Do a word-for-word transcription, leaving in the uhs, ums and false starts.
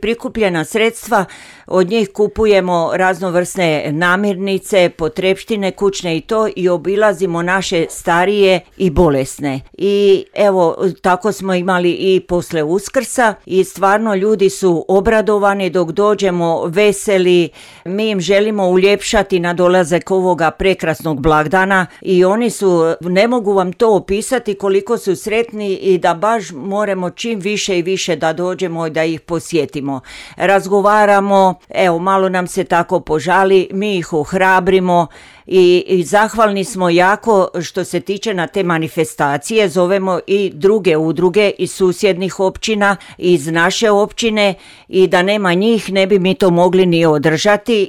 Prikupljena sredstva, od njih kupujemo raznovrsne namirnice, potrepštine kućne i to i obilazimo naše starije i bolesne. I evo, tako smo imali i posle Uskrsa i stvarno ljudi su obradovani dok dođemo, veseli, mi im želimo uljepšati na dolazak ovoga prekrasnog blagdana i oni su, ne mogu vam to opisati koliko su sretni i da baš moramo čim više i više da dođemo i da ih posjetimo. Razgovaramo, evo malo nam se tako požali, mi ih ohrabrimo i, i zahvalni smo jako što se tiče na te manifestacije, zovemo i druge udruge iz susjednih općina, iz naše općine i da nema njih ne bi mi to mogli ni održati